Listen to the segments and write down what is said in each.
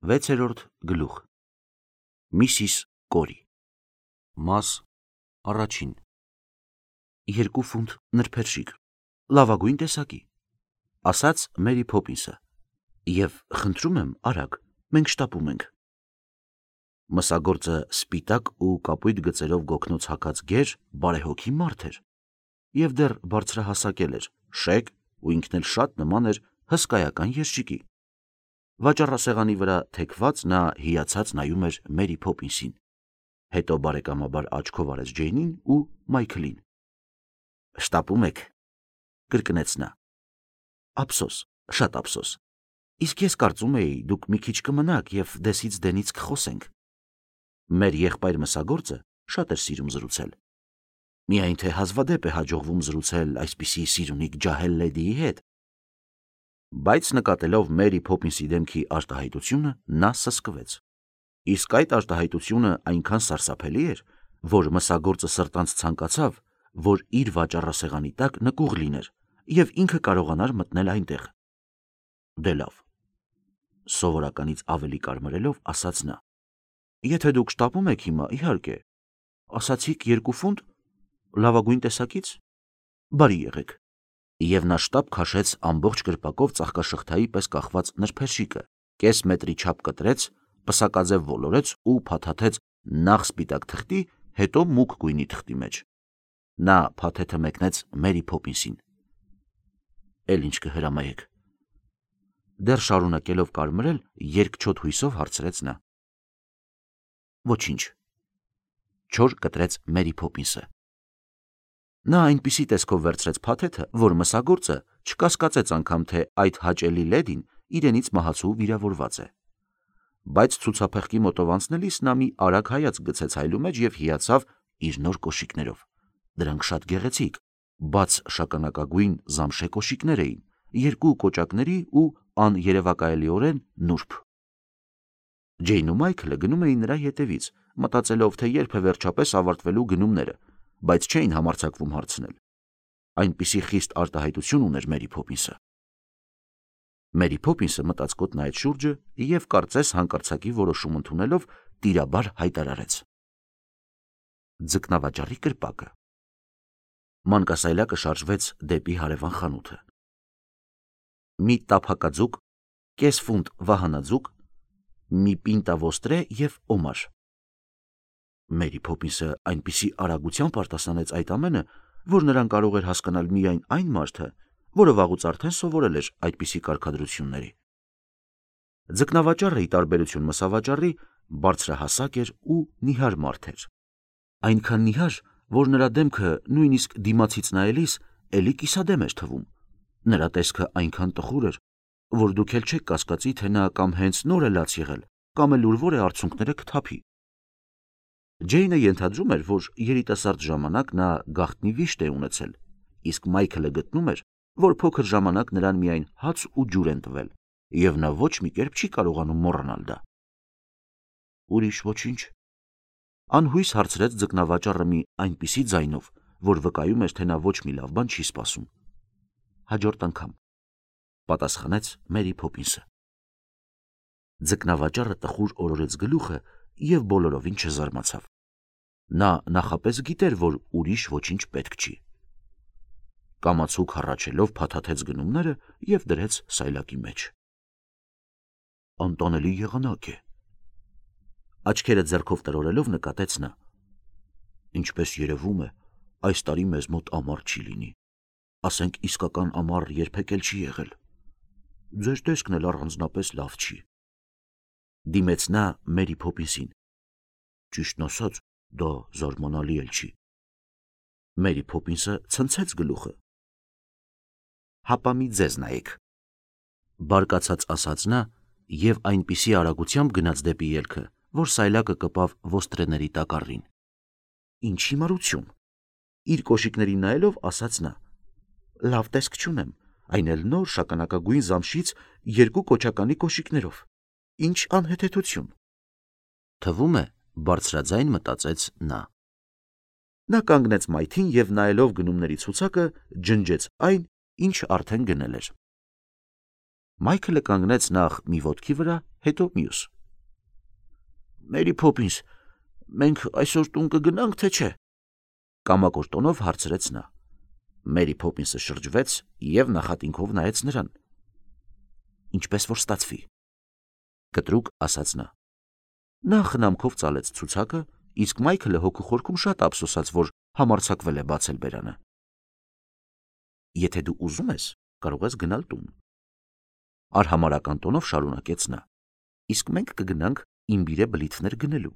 6-րդ գլուխ Միսիս Կորի Մաս առաջին 2 ֆունտ նրբերշիկ լավագույն տեսակի ասաց Մերի Փոփինսը եւ խնդրում եմ արագ մենք շտապում ենք մսագործը սպիտակ ու կապույտ գծերով գոգնոց հագած գեր բարեհոգի մարդ էր եւ դեռ բարձրահասակել էր շեկ ու ինքն էլ շատ նման էր հսկայական երշիկի վաճառասեղանի վրա թեքված նա հիացած նայում էր Մերի Փոփինսին, հետո բարեկամաբար աչքով արեց Ջեյնին ու Մայքլին։ «Շտապում եք», կրկնեց նա։ «Ափսոս, շատ ափսոս։ Իսկ ես կարծում էի, դուք մի քիչ կմնաք եւ դեսից դենից կխոսենք»։ Մեր եղբայր մսագործը շատ էր սիրում զրուցել։ Միայն թե հազվադեպ է հաջողվում զրուցել այսպիսի սիրունիկ ջահել լեդիի հետ։ Բայց նկատելով Մերի Փոփինսի դեմքի արտահայտությունը, նա սսկվեց։ Իսկ այդ արտահայտությունը այնքան սարսափելի էր, որ մսագործը սրտանց ցանկացավ, որ իր վաճառասեղանի տակ նկուղ լիներ եւ ինքը կարողանար մտնել այնտեղ։ Դե լավ, սովորականից ավելի կարմրելով ասաց նա. Եթե դուք շտապում եք հիմա, իհարկե, ասացիք 2 ֆունտ լավագույն տեսակից, բարի եղեք։ Եվ նա շտապ քաշեց ամբողջ կրպակով ծաղկաշղթայի պես կախված նրբերշիկը, կես մետրի չափ կտրեց, պսակաձև ոլորեց ու փաթաթեց նախ սպիտակ թղթի, հետո մուգ գույնի թղթի մեջ։ Նա փաթեթը մեկնեց Մերի Փոփինսին։ Էլ ինչ կհրամայեք։ Դեռ շարունակելով կարմրել, երկչոտ հույսով հարցրեց նա։ Ոչինչ, չոր կտրեց Մերի Փոփինսը։ Նա այնպիսի տեսքով վերցրեց փաթեթը, որ մսագործը չկասկածեց անգամ, թե այդ հաճելի լեդին իրենից մահացու վիրավորված է։ Բայց ցուցափեղկի մոտով անցնելիս նա մի արագ հայացք գցեց հայլու մեջ եւ հիացավ իր նոր կոշիկներով։ Դրանք շատ գեղեցիկ, բաց շագանակագույն զամշե կոշիկներ էին, 2 կոճակների ու աներևակայելիորեն նուրբ։ Ջեյնն ու Մայքլը գնում էին նրա ետևից, մտածելով, թե երբ է վերջապես ավարտվելու գնումները, բայց չէին համարձակվում հարցնել։ Այնպիսի խիստ արտահայտություն ուներ Մերի Փոփինսը։ Մերի Փոփինսը մտածկոտ նայեց շուրջը եւ կարծես հանկարծակի որոշում ընդունելով տիրաբար հայտարարեց. Ձկնավաճառի կրպակը։ Մանկասայլակը շարժվեց դեպի հարևան խանութը։ Մի տափակաձուկ, կես ֆունտ վահանաձուկ, մի պինտա ոստրե եւ օմար։ Մերի Փոփինսը այնպիսի արագությամբ արտասանեց այդ ամենը, որ նրան կարող էր հասկանալ միայն այն մարդը, որը վաղուց արդեն սովորել էր այդպիսի կարգադրությունների։ Ձկնավաճառը, ի տարբերություն մսավաճառի, բարձրահասակ էր ու նիհար մարդ էր։ Այնքան նիհար, որ նրա դեմքը նույնիսկ դիմացից նայելիս էլի կիսադեմ էր թվում։ Նրա տեսքը այնքան տխուր էր, որ դուք էլ չեք կասկածի, թե նա կամ հենց նոր է լաց եղել, կամ էլ ուրվոր է արցունքները կթափի։ Ջեյնը ենթադրում էր, որ երիտասարդ ժամանակ նա գաղտնի վիշտ է ունեցել, իսկ Մայքլը գտնում էր, որ փոքր ժամանակ նրան միայն հաց ու ջուր են տվել, եւ նա ոչ մի կերպ չի կարողանում մոռանալ դա։ Ուրիշ ոչինչ։ Անհույս հարցրեց ձկնավաճառը մի այնպիսի ձայնով, որ վկայում էր, թե նա ոչ մի լավ բան չի սպասում։ Հաջորդ անգամ, պատասխանեց Մերի Փոփինսը։ Ձկնավաճառը տխուր օրորեց գլուխը եւ բոլորովին չզարմացավ։ Նա նախապես գիտեր, որ ուրիշ ոչինչ պետք չի։ Կամացուկ հառաչելով փաթաթեց գնումները եւ դրեց սայլակի մեջ։ Անտանելի եղանակ է։ Աչքերը ձեռքով տրորելով նկատեց նա։ Ինչպես երևում է, այս տարի մեզ մոտ ամառ չի լինի։ Ասենք իսկական ամառ երբեք էլ չի եղել։ Ձեր տեսքն էլ առանձնապես լավ չի։ Դիմեց նա Մերի Փոփինսին։ Ճիշտն ասած, դա զարմանալի էլ չի։ Մերի Փոփինսը ցնցեց գլուխը։ Հապա մի ձեզ նայեք, բարկացած ասաց նա եւ այնպիսի արագությամբ գնաց դեպի ելքը, որ սայլակը կպավ ոստրեների տակառին։ Ինչ հիմարություն։ Իր կոշիկներին նայելով ասաց նա. Լավ տեսք չունեմ, այն էլ նոր շագանակագույն զամշից 2 կոճականի կոշիկներով։ Ինչ անհեթեթություն։ Թվում է, բարձրաձայն մտածեց նա։ Նա կանգնեց մայթին եւ նայելով գնումների ցուցակը ջնջեց այն, ինչ արդեն գնել էր։ Մայքլը կանգնեց նախ մի ոտքի վրա, հետո մյուս։ Մերի Փոփինս, մենք այսօր տուն կգնանք, թե չէ։ Կամակոր տոնով հարցրեց նա։ Մերի Փոփինսը շրջվեց և նախատինքով նայեց նրան։ Ինչպես որ ստացվի, կտրուկ ասաց նա։ Նա խնամքով ծալեց ցուցակը, իսկ Մայքլը հոգու խորքում շատ ափսոսաց, որ համարձակվել է բացել բերանը։ Եթե դու ուզում ես, կարող ես գնալ տուն։ Արհամարհական տոնով շարունակեց նա։ Իսկ մենք կգնանք իմբիրե բլիթներ գնելու։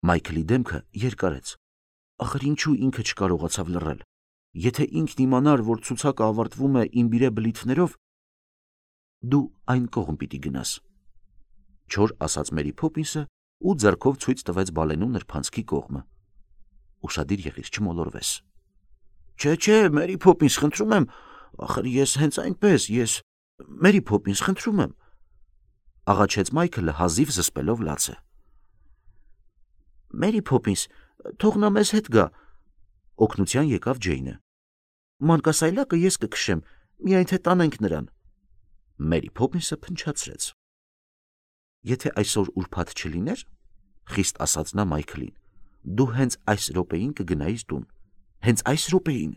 Մայքլի դեմքը երկարեց։ Ախր ինչու ինքը չկարողացավ լռել։ Եթե ինքն իմանար, որ ցուցակը ավարտվում է իմբիրե բլիթներով, դու այն կողմ պիտի գնաս։ Չոր ասաց Մերի Փոփինսը ու ձեռքով ցույց տվեց բալենու նրբանցքի կողմը։ Ուշադիր եղիր, չմոլորվես։ Չէ, Մերի Փոփինս, խնդրում եմ, ախր ես հենց այնպես, Մերի Փոփինս, խնդրում եմ, աղաչեց Մայքլը հազիվ զսպելով լացը։ Մերի Փոփինս, թող նա մեզ հետ գա, օգնության եկավ Ջեյնը։ Մանկասայլակը ես կքշեմ, միայն թե տանենք նրան։ Մերի Փոփինսը փնչացրեց։ Եթե այսօր ուրբաթ չլիներ, խիստ ասաց նա Մայքլին, դու հենց այս րոպեին կգնայիր տուն, հենց այս րոպեին։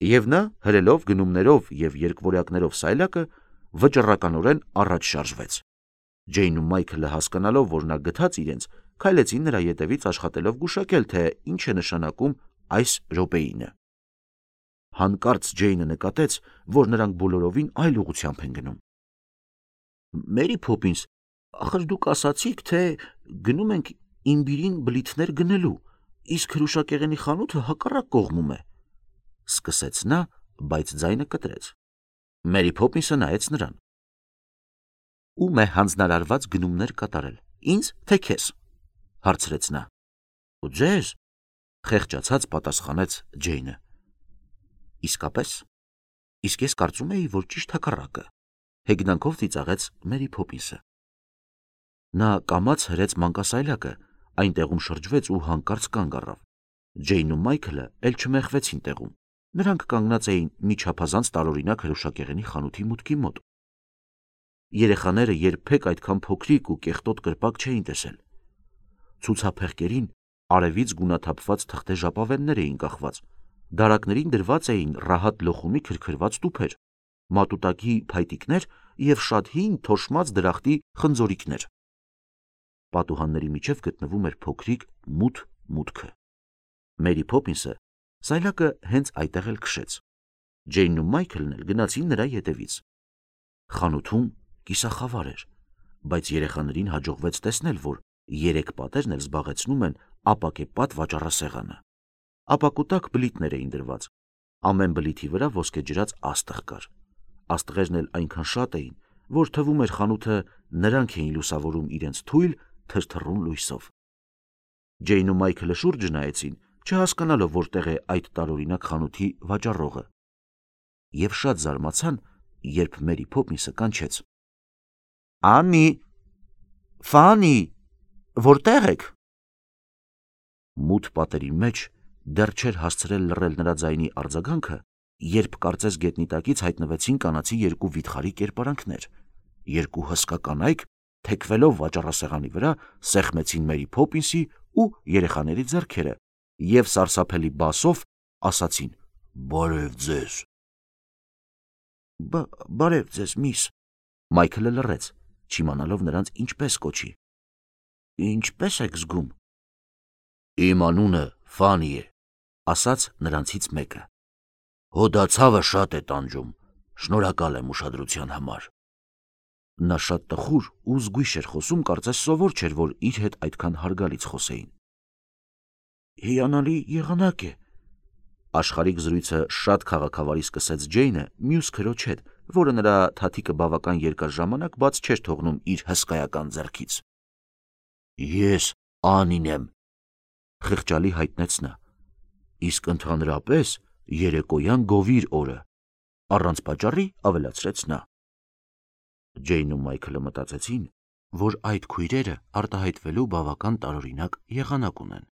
Եվ նա, հրելով գնումներով և երկվորյակներով սայլակը, վճռականորեն առաջ շարժվեց։ Ջեյնն ու Մայքլը հասկանալով, որ նա գթած իրենց, քայլեցին նրա ետևից աշխատելով գուշակել, թե ինչ է նշանակում այս րոպեինը։ Հանկարծ Ջեյնը նկատեց, որ նրանք բոլորովին այլ ուղղությամբ են գնում։ Մերի Փոփինս, ախր դուք ասացիք, թե գնում ենք իմբիրին բլիթներ գնելու, իսկ հրուշակեղենի խանութը հակառակ կողմում է, սկսեց նա, բայց ձայնը կտրեց։ Մերի Փոփինսը նայեց նրան։ Ում է հանձնարարված գնումներ կատարել, ինձ թե քեզ, հարցրեց նա։ Ու ձեզ, խեղճացած պատասխանեց Ջեյնը։ Իսկապես, իսկ ես կարծում էի, որ ճիշտ հակառակը, հեգնանքով ծիծաղեց Մերի Փոփինսը։ Նա կամաց հրեց մանկասայլակը, այնտեղում շրջվեց ու հանկարծ կանգ առավ։ Ջեյնն ու Մայքլը էլ չմեղվեցին տեղում։ Նրանք կանգնած էին մի չափազանց տարօրինակ հրուշակեղենի խանութի մուտքի մոտ։ Երեխաները երբեք այդքան փոքրիկ ու կեղտոտ կրպակ չէին տեսել։ Ցուցափեղկերին արևից գունաթափված թղթե ժապավեններ էին կախված, դարակներին դրված էին ռահատ լոխումի քրքրված տուփեր, մատուտակի փայտիկներ և շատ հին թոշմած դրախտի խնձորիքներ։ Պատուհանների միջև գտնվում էր փոքրիկ մութ մուտքը։ Մերի Փոփինսը սայլակը հենց այդտեղ էլ քշեց։ Ջեյնն ու Մայքլն էլ գնացին նրա ետևից։ Խանութում կիսախավար էր, բայց երեխաներին հաջողվեց տեսնել, որ 3 պատերն էլ զբաղեցնում են ապակեպատ վաճառասեղանը։ Ապակու տակ բլիթներ էին դրված։ Ամեն բլիթի վրա ոսկեջրած աստղ կար։ Աստղերն էլ այնքան շատ էին, որ թվում էր խանութը նրանք էին լուսավորում իրենց թույլ, թրթռուն լույսով։ Ջեյնն ու Մայքլը շուրջը նայեցին, չհասկանալով որտեղ է այդ տարօրինակ խանութի վաճառողը։ Եվ շատ զարմացան, երբ Մերի Փոփինսը կանչեց. Անի, Ֆանի, որտեղ եք։ Մութ պատերի մեջ դեռ չէր հասցրել լռել նրա ձայնի արձագանքը, երբ կարծես գետնի տակից հայտնվեցին կանացի 2 վիթխարի կերպարանքներ։ 2 հսկա կանայք, թեքվելով վաճառասեղանի վրա, սեղմեցին Մերի Փոփինսի ու երեխաների ձեռքերը և սարսափելի բասով ասացին. Բարև ձեզ։ Բարև ձեզ, միս։ Մայքլը լռեց, չիմանալով նրանց ինչպես կոչի։ Ինչպես եք զգում։ Իմ անունը Ֆանի է, ասաց նրանցից մեկը։ Հոդացավը շատ է տանջում, շնորհակալ եմ ուշադրության համար։ Նա շատ տխուր ու զգույշ էր խոսում, կարծես սովոր չէր, որ իր հետ այդքան հարգալից խոսեին։ Հիանալի եղանակ է։ Աշխարհիկ զրույցը շատ քաղաքավարի սկսեց Ջեյնը մյուս քրոջ հետ, որը նրա թաթիկը բավական երկար ժամանակ բաց չէր թողնում իր հսկայական ձեռքից։ Ես Անին եմ, խղճալի հայտնեց նա, իսկ ընդհանրապես երեկոյան գովիր օրը, առանց պատճառի ավելացրեց նա։ Ջեյնն ու Մայքլը մտածեցին, որ այդ քույրերը արտահայտվելու բավական տարօրինակ եղանակ ունեն,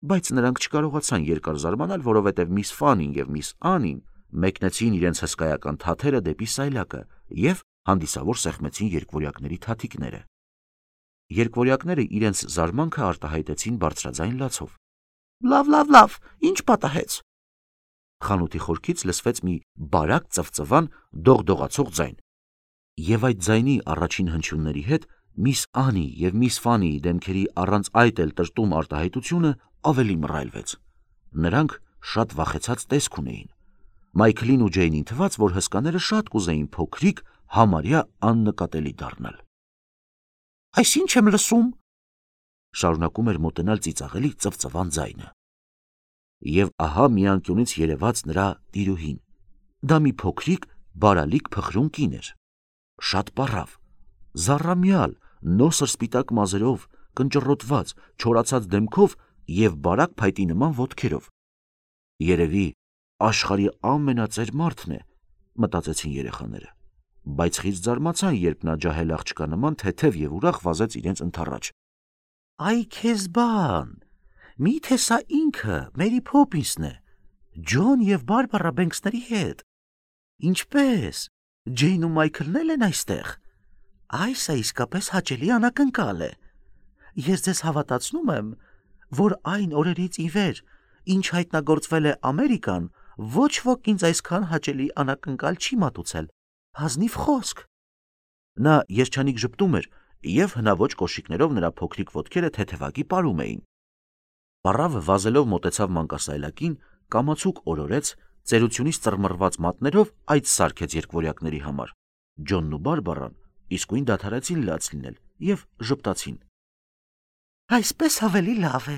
բայց նրանք չկարողացան երկար զարմանալ, որովհետև միս Ֆանին և միս Անին մեկնեցին իրենց հսկայական թաթերը դեպի սայլակը և Հանդիսավոր սեղմեցին երկվորյակների թաթիկները։ Երկվորյակները իրենց զարմանքը արտահայտեցին բարձրաձայն լացով։ Լավ, ինչ պատահեց։ Խանութի խորքից լսվեց մի բարակ ծվծվան դողդողացող ձայն։ Եվ այդ ձայնի առաջին հնչյունների հետ միս Անի և միս Ֆանիի դեմքերի առանց այդ էլ տրտում արտահայտությունը ավելի մռայլվեց։ Նրանք շատ վախեցած տեսք ունեին։ Մայքլին ու Ջեյնին թվաց, որ հսկաները շատ կուզեին փոքրիկ, համարյա աննկատելի դառնալ։ Այս ինչ եմ լսում, շարունակում էր մոտենալ ծիծաղելի ծվծվան ձայնը։ Եվ ահա մի անկյունից երևաց նրա տիրուհին։ Դա մի փոքրիկ, բարալիկ փխրուն կին էր։ Շատ պառավ, զառամյալ, նոսր սպիտակ մազերով, կնճռոտված, չորացած դեմքով և բարակ փայտի նման ոտքերով։ Երևի աշխարհի ամենածեր մարդն է, մտածեցին երեխաները, բայց խիստ զարմացան, երբ նա ջահել աղջկա նման թեթև և ուրախ վազեց իրենց ընդառաջ։ Այ քեզ բան, միթե սա ինքը Մերի Փոփինսն է, Ջոն և Բարբարա Բենքսների հետ։ Ինչպե՞ս, Ջեյն ու Մայքլն էլ են այստեղ։ Այս է իսկապես հաճելի անակնկալ է։ Ես ձեզ հավատացնում եմ, որ այն օրերից ի վեր, ինչ հայտնագործվել է Ամերիկան, ոչ ոք ինձ այսքան հաճելի անակնկալ չի մատուցել։ Ազնիվ խոսք։ Նա երջանիկ ժպտում էր, և հնաոճ կոշիկներով նրա փոքրիկ ոտքերը թեթևակի պարում էին։ Պառավը վազելով մոտեցավ մանկասայլակին, կամացուկ օրորեց, ծերությունից ծռմռված մատներով այդ սարքեց երկվորյակների համար։ Ջոնն ու Բարբարան իսկույն դադարեցին լաց լինել և ժպտացին։ Այսպես ավելի լավ է,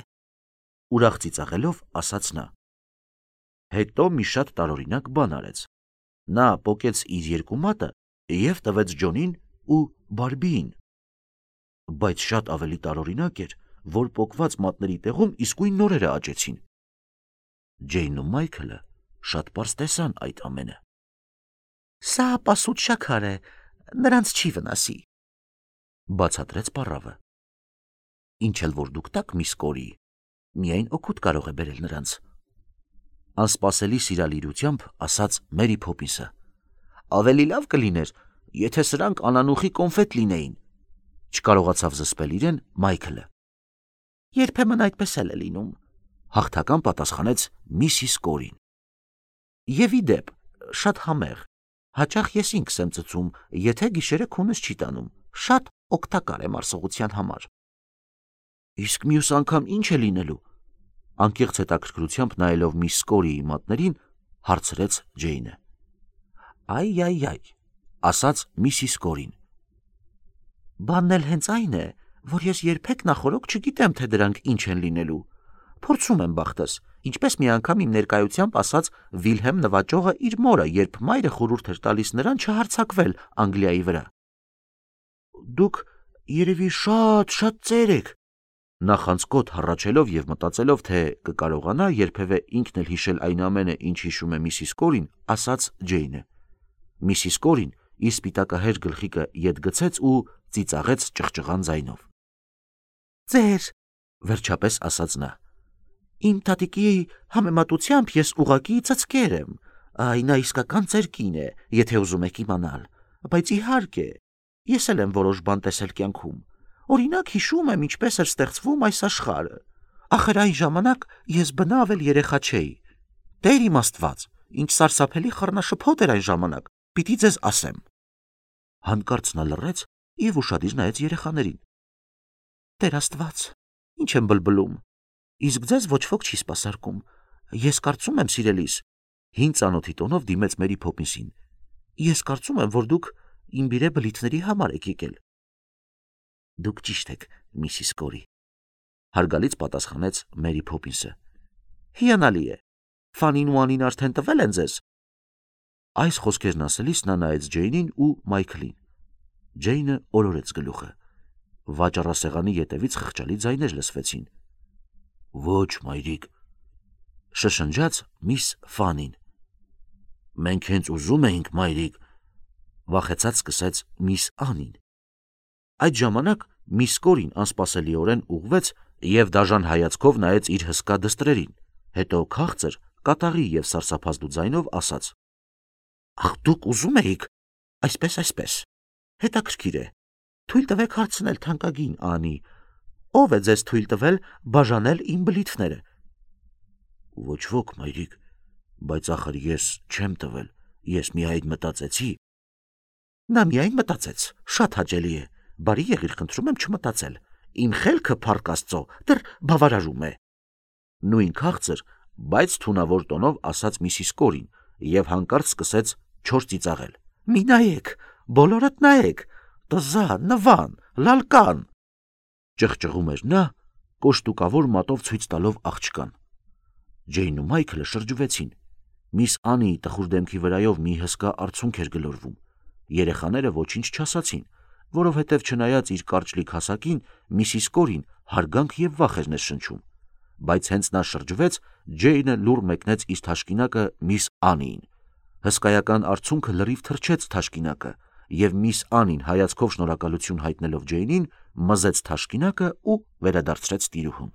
ուրախ ծիծաղելով ասաց նա։ Հետո մի շատ տարօրինակ բան արեց։ Նա պոկեց իր երկու մատը և տվեց Ջոնին ու Բարբիին։ Բայց շատ ավելի տարօրինակ էր, որ պոկված մատների տեղում իսկույն նորերը աճեցին։ Ջեյնն ու Մայքլը շատ պարզ տեսան այդ ամենը։ Սա պասուտ շաքար է, նրանց չի վնասի, բացատրեց պառավը։ Ինչ էլ որ դուք տաք, միս Կորի, միայն օգուտ կարող է բերել նրանց, անսպասելի սիրալիրությամբ ասաց Մերի Փոփինսը։ Ավելի լավ կլիներ, եթե սրանք անանուխի կոնֆետ լինեին, չկարողացավ զսպել իրեն Մայքլը։ Երբեմն այդպես էլ է լինում, հաղթական պատասխանեց Միսիս Կորին։ Եվ ի դեպ, շատ համեղ, հաճախ ես ինքս եմ ծծում, եթե գիշերը քունս չի տանում, շատ օգտակար է մարսողության համար։ Իսկ մյուս անգամ ինչ է լինելու, անկեղծ հետաքրքրությամբ նայելով միս Կորիի մատներին, հարցրեց Ջեյնը։ Այ, ասաց Միսիս Կորին։ Բանն էլ հենց այն է, որ ես երբեք նախօրոք չգիտեմ, թե դրանք ինչ են լինելու։ Փորձում եմ բախտս, ինչպես մի անգամ իմ ներկայությամբ ասաց Վիլհեմ նվաճողը իր մորը, երբ մայրը խորհուրդ էր տալիս նրան չհարձակվել Անգլիայի վրա։ Դուք երևի շատ ծեր եք, նախանցկոտ հառաչելով և մտածելով, թե կկարողանա երբևէ ինքն էլ հիշել այն ամենը, ինչ հիշում է Միսիս Կորին, ասաց Ջեյնը։ Միսիս Կորին իր սպիտակահեր գլխիկը ետ գցեց ու ծիծաղեց ճղճղան ձայնով։ Ձեր, վերջապես ասաց նա, իմ տատիկի համեմատությամբ ես ուղղակի ծծկեր եմ, նա իսկական ծեր կին է, եթե ուզում եք իմանալ, բայց իհարկե, ես էլ եմ որոշ բան տեսել կյանքում, օրինակ հիշում եմ, ինչպես էր ստեղծվում այս աշխարհը, ախր այն ժամանակ ես բնավ էլ երեխա չէի, Տեր իմ Աստված, ինչ սարսափելի խառնաշփոթ էր այն ժամանակ, պիտի ձեզ ասեմ։ Հանկարծ նա լռեց և ուշադիր նայեց երեխաներին։ Տեր Աստված, ինչ եմ բլբլում, իսկ ձեզ ոչ ոք չի սպասարկում, ես կարծում եմ, սիրելիս, հին ծանոթի տոնով դիմեց Մերի Փոփինսին, ես կարծում եմ, որ դուք իմ բիրե բլիթների համար եք եկել։ Դուք ճիշտ եք, Միսիս Կորի, հարգալից պատասխանեց Մերի Փոփինսը։ Հիանալի է, Ֆանին ու Անին արդեն տվել են ձեզ։ Այս խոսքերն ասելիս նա նայեց Ջեյնին ու Մայքլին։ Ջեյնը օրորեց գլուխը։ Վաճառասեղանի ետևից խղճալի ձայներ լսվեցին։ Ոչ, մայրիկ, շշնջաց միս Ֆանին։ Մենք հենց ուզում էինք, մայրիկ, վախեցած սկսեց միս Անին։ Այդ ժամանակ միս Կորին անսպասելիորեն ուղղվեց և դաժան հայացքով նայեց իր հսկա դստրերին, հետո քաղցր, կատաղի և սարսափազդու ձայնով ասաց. Ախ, դուք ուզում էիք, այսպես, Հետաքրքիր է։ Թույլ տվեք հարցնել թանկագին Անի, ով է ձեզ թույլ տվել բաժանել իմ բլիթները։ Ոչ ոք, մայրիկ, բայց ախր ես չեմ տվել, ես միայն մտածեցի։ Նա միայն մտածեց, շատ հաճելի է, բարի եղիր, խնդրում եմ չմտածել, իմ խելքը փառք Աստծո դեռ բավարարում է։ Նույն քաղցր, բայց թունավոր տոնով ասաց Միսիս Կորին եւ հանկարծ սկսեց չոր ծիծաղել։ Մի նայեք, բոլորդ նայեք, տզա, նվան, լալկան, ճղճղում էր նա, կոշտուկավոր մատով ցույց տալով աղջկան։ Ջեյնն ու Մայքլը շրջվեցին։ Միս Անիի տխուր դեմքի վրայով մի հսկա արցունք էր գլորվում։ Երեխաները ոչինչ չասացին, որովհետև չնայած իր կարճլիկ հասակին, Միսիս Կորին հարգանք եւ վախ էր ներշնչում, բայց հենց նա շրջվեց, Ջեյնը լուռ մեկնեց իր թաշկինակը միս Անիին։ Հսկայական արցունքը լրիվ թրջեց թաշկինակը, եւ միս Անին հայացքով շնորհակալություն հայտնելով Ջեյնին, մզեց թաշկինակը ու վերադարձրեց տիրուհուն։